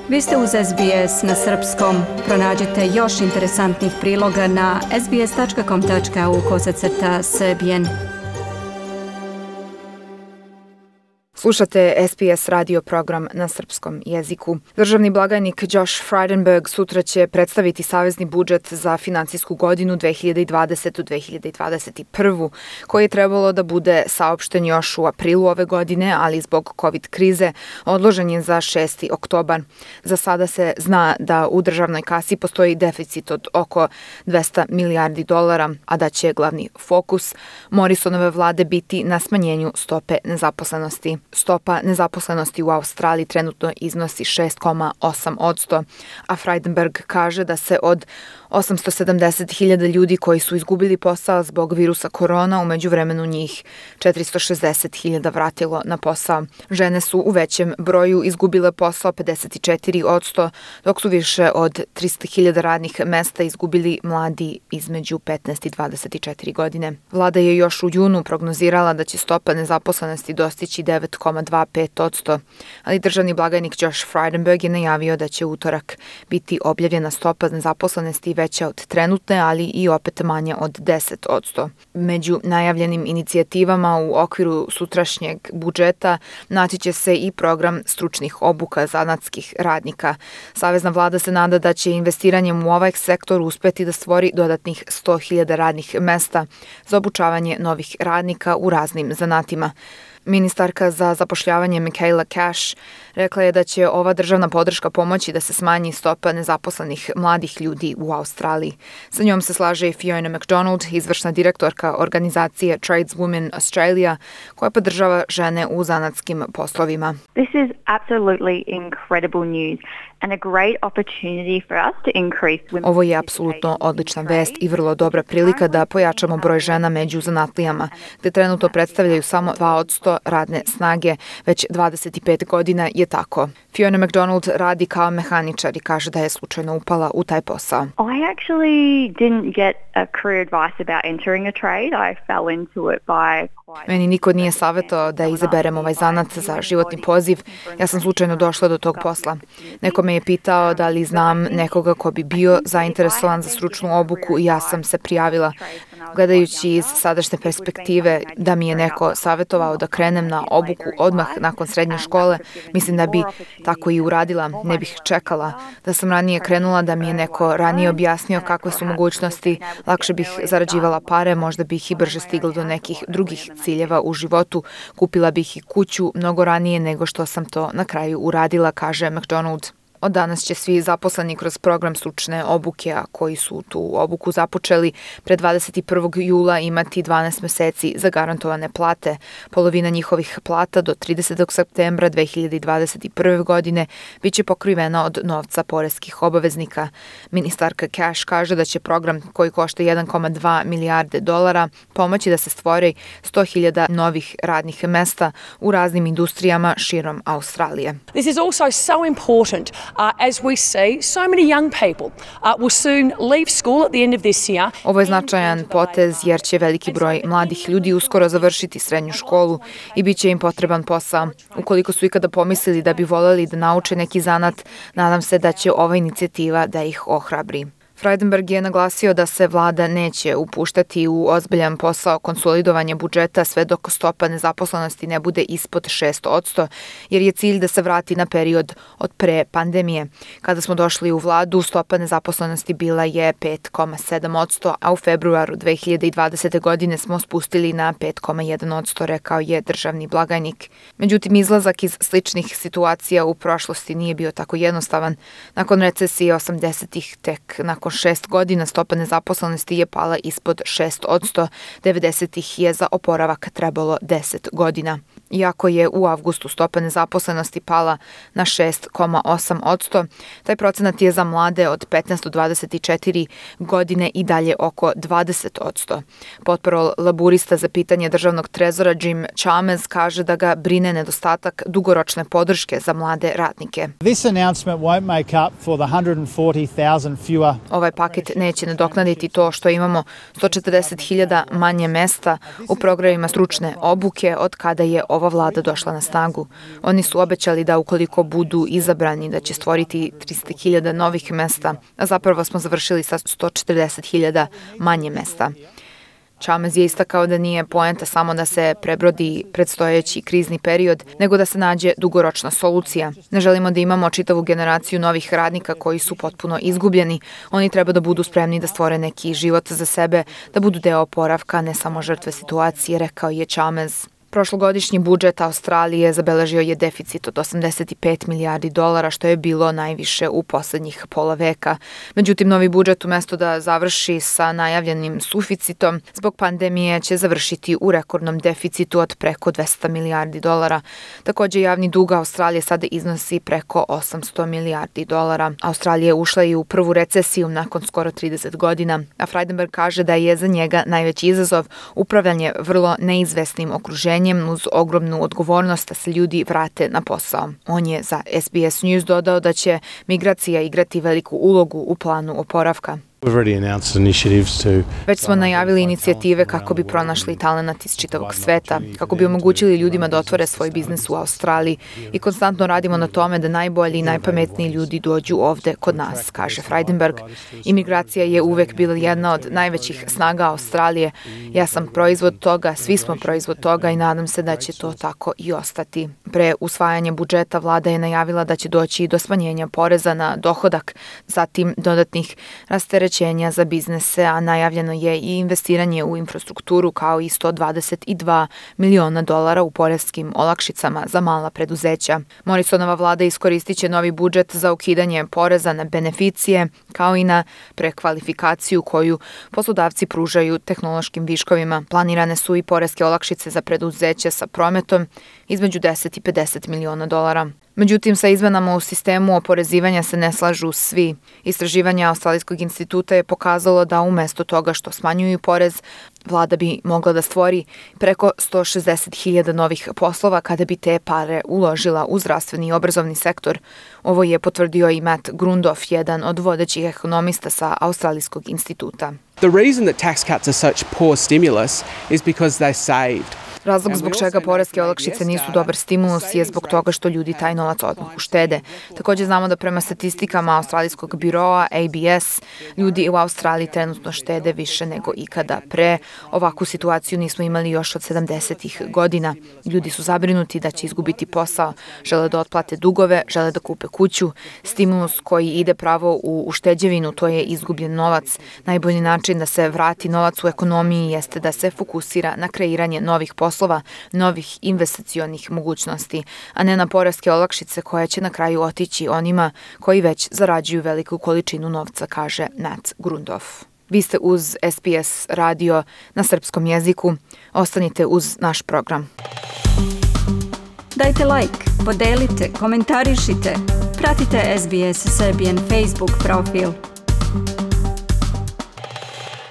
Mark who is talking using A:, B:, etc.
A: Vi ste uz SBS na srpskom. Pronađite još interesantnih priloga na sbs.com.au/srbijen.
B: Slušate SBS radio program na srpskom jeziku. Državni blagajnik Josh Frydenberg sutra će predstaviti savezni budžet za finansijsku godinu 2020-2021, koji je trebalo da bude saopšten još u aprilu ove godine, ali zbog COVID krize odložen je za 6. oktobar. Za sada se zna da u državnoj kasi postoji deficit od oko $200 milijardi, a da će glavni fokus Morrisonove vlade biti na smanjenju stope nezaposlenosti. Stopa nezaposlenosti u Australiji trenutno iznosi 6,8%, a Frydenberg kaže da se od 870.000 ljudi koji su izgubili posao zbog virusa korona, u međuvremenu njih 460.000 vratilo na posao. Žene su u većem broju izgubile posao 54%, dok su više od 300.000 radnih mesta izgubili mladi između 15 i 24 godine. Vlada je još u junu prognozirala da će stopa nezaposlenosti dostići 9,25%, ali državni blagajnik Josh Frydenberg je najavio da će utorak biti objavljena stopa nezaposlenosti veća od trenutne, ali i opet manja od 10%. Među najavljenim inicijativama u okviru sutrašnjeg budžeta naći će se i program stručnih obuka zanatskih radnika. Savezna vlada se nada da će investiranjem u ovaj sektor uspeti da stvori dodatnih 100.000 radnih mesta za obučavanje novih radnika u raznim zanatima. Ministarka za zapošljavanje Michaela Cash rekla je da će ova državna podrška pomoći da se smanji stopa nezaposlenih mladih ljudi u Australiji. Sa njom se slaže i Fiona McDonald, izvršna direktorka organizacije Tradeswomen Australia, koja podržava žene u zanatskim poslovima.
C: This is absolutely incredible news.
B: Ovo je apsolutno odlična vest i vrlo dobra prilika da pojačamo broj žena među zanatlijama, gde trenutno predstavljaju samo 2% radne snage, već 25 godina je tako. Fiona McDonald radi kao mehaničar i kaže da je slučajno upala u taj posao.
C: I actually didn't get a career advice about entering a trade. I fell into it by
B: Meni niko nije savjetovao da izaberem ovaj zanat za životni poziv. Ja sam slučajno došla do tog posla. Neko me je pitao da li znam nekoga ko bi bio zainteresovan za stručnu obuku i ja sam se prijavila. Gledajući iz sadašnje perspektive da mi je neko savjetovao da krenem na obuku odmah nakon srednje škole, mislim da bi tako i uradila, ne bih čekala. Da sam ranije krenula, da mi je neko ranije objasnio kakve su mogućnosti, lakše bih zarađivala pare, možda bih i brže stigla do nekih drugih ciljeva u životu, kupila bih i kuću mnogo ranije nego što sam to na kraju uradila, kaže McDonald. Od danas će svi zaposleni kroz program stručne obuke, a koji su tu obuku započeli pre 21. jula imati 12 meseci zagarantovane plate. Polovina njihovih plata do 30. septembra 2021. godine biće pokrivena od novca poreskih obaveznika. Ministarka Cash kaže da će program koji košta $1,2 milijarde pomoći da se stvori 100.000 novih radnih mesta u raznim industrijama širom Australije.
D: This is also so important as we see so many young people will soon leave school at the end of this year.
B: Ovo je značajan potez jer će veliki broj mladih ljudi uskoro završiti srednju školu i bit će im potreban posao. Ukoliko su ikada pomislili da bi voljeli da nauče neki zanat, nadam se da će ova inicijativa da ih ohrabri. Frydenberg je naglasio da se vlada neće upuštati u ozbiljan posao konsolidovanja budžeta sve dok stopa nezaposlenosti ne bude ispod 6%, jer je cilj da se vrati na period od pre pandemije. Kada smo došli u vladu, stopa nezaposlenosti bila je 5,7%, a u februaru 2020. godine smo spustili na 5,1%, rekao je državni blagajnik. Međutim, izlazak iz sličnih situacija u prošlosti nije bio tako jednostavan. Nakon recesije 80-ih, tek nakon 6 godina stopa nezaposlenosti je pala ispod 6%, 90-ih je za oporavak trebalo 10 godina. Iako je u avgustu stopa nezaposlenosti pala na 6,8%, taj procenat je za mlade od 15 do 24 godine i dalje oko 20%. Potporol laburista za pitanje državnog trezora Jim Chalmers kaže da ga brine nedostatak dugoročne podrške za mlade radnike.
E: This announcement won't make up for the 140,000 fewer.
B: Ovaj paket neće nadoknaditi to što imamo 140.000 manje mesta u programima stručne obuke od kada je ova vlada došla na snagu. Oni su obećali da ukoliko budu izabrani da će stvoriti 300.000 novih mesta, a zapravo smo završili sa 140.000 manje mesta. Chalmers je istakao da nije poenta samo da se prebrodi predstojeći krizni period, nego da se nađe dugoročna solucija. Ne želimo da imamo čitavu generaciju novih radnika koji su potpuno izgubljeni. Oni treba da budu spremni da stvore neki život za sebe, da budu deo oporavka, ne samo žrtve situacije, rekao je Chalmers. Prošlogodišnji budžet Australije zabeležio je deficit od $85 milijardi, što je bilo najviše u poslednjih pola veka. Međutim, novi budžet umesto da završi sa najavljenim suficitom, zbog pandemije će završiti u rekordnom deficitu od preko $200 milijardi. Takođe, javni dug Australije sada iznosi preko $800 milijardi. Australija je ušla i u prvu recesiju nakon skoro 30 godina, a Frydenberg kaže da je za njega najveći izazov upravljanje vrlo neizvesnim okruženjem uz ogromnu odgovornost da se ljudi vrate na posao. On je za SBS News dodao da će migracija igrati veliku ulogu u planu oporavka. Već smo najavili inicijative kako bi pronašli talenat iz čitavog sveta, kako bi omogućili ljudima da otvore svoj biznis u Australiji i konstantno radimo na tome da najbolji i najpametniji ljudi dođu ovde kod nas, kaže Frydenberg. Imigracija je uvek bila jedna od najvećih snaga Australije. Ja sam proizvod toga, svi smo proizvod toga i nadam se da će to tako i ostati. Pre usvajanja budžeta vlada je najavila da će doći i do smanjenja poreza na dohodak, zatim dodatnih rasterećenja za biznese, a najavljeno je i investiranje u infrastrukturu kao i $122 miliona u poreskim olakšicama za mala preduzeća. Morrisonova vlada iskoristit će novi budžet za ukidanje poreza na beneficije kao i na prekvalifikaciju koju poslodavci pružaju tehnološkim viškovima. Planirane su i poreske olakšice za preduzeće sa prometom između $10 i $50 miliona. Međutim, sa izmenama u sistemu oporezivanja se ne slažu svi. Istraživanje Australijskog instituta je pokazalo da umesto toga što smanjuju porez, vlada bi mogla da stvori preko 160.000 novih poslova kada bi te pare uložila u zdravstveni i obrazovni sektor. Ovo je potvrdio i Matt Grundoff, jedan od vodećih ekonomista sa Australijskog instituta.
F: The reason that tax cuts are such poor stimulus is because they saved.
B: Razlog zbog čega poreske olakšice nisu dobar stimulus je zbog toga što ljudi taj novac odmah uštede. Takođe znamo da prema statistikama Australijskog biroa ABS, ljudi u Australiji trenutno štede više nego ikada pre. Ovakvu situaciju nismo imali još od 70-ih godina. Ljudi su zabrinuti da će izgubiti posao, žele da otplate dugove, žele da kupe kuću. Stimulus koji ide pravo u ušteđevinu, to je izgubljen novac. Najbolji način da se vrati novac u ekonomiji jeste da se fokusira na kreiranje novih poslova, novih investicionih mogućnosti, a ne na poreske olakšice koje će na kraju otići onima koji već zarađuju veliku količinu novca, kaže Matt Grundoff. Vi ste uz SBS radio na srpskom jeziku. Ostanite uz naš program.
A: Dajte like, podelite, komentarišite. Pratite SBS Serbian Facebook profil.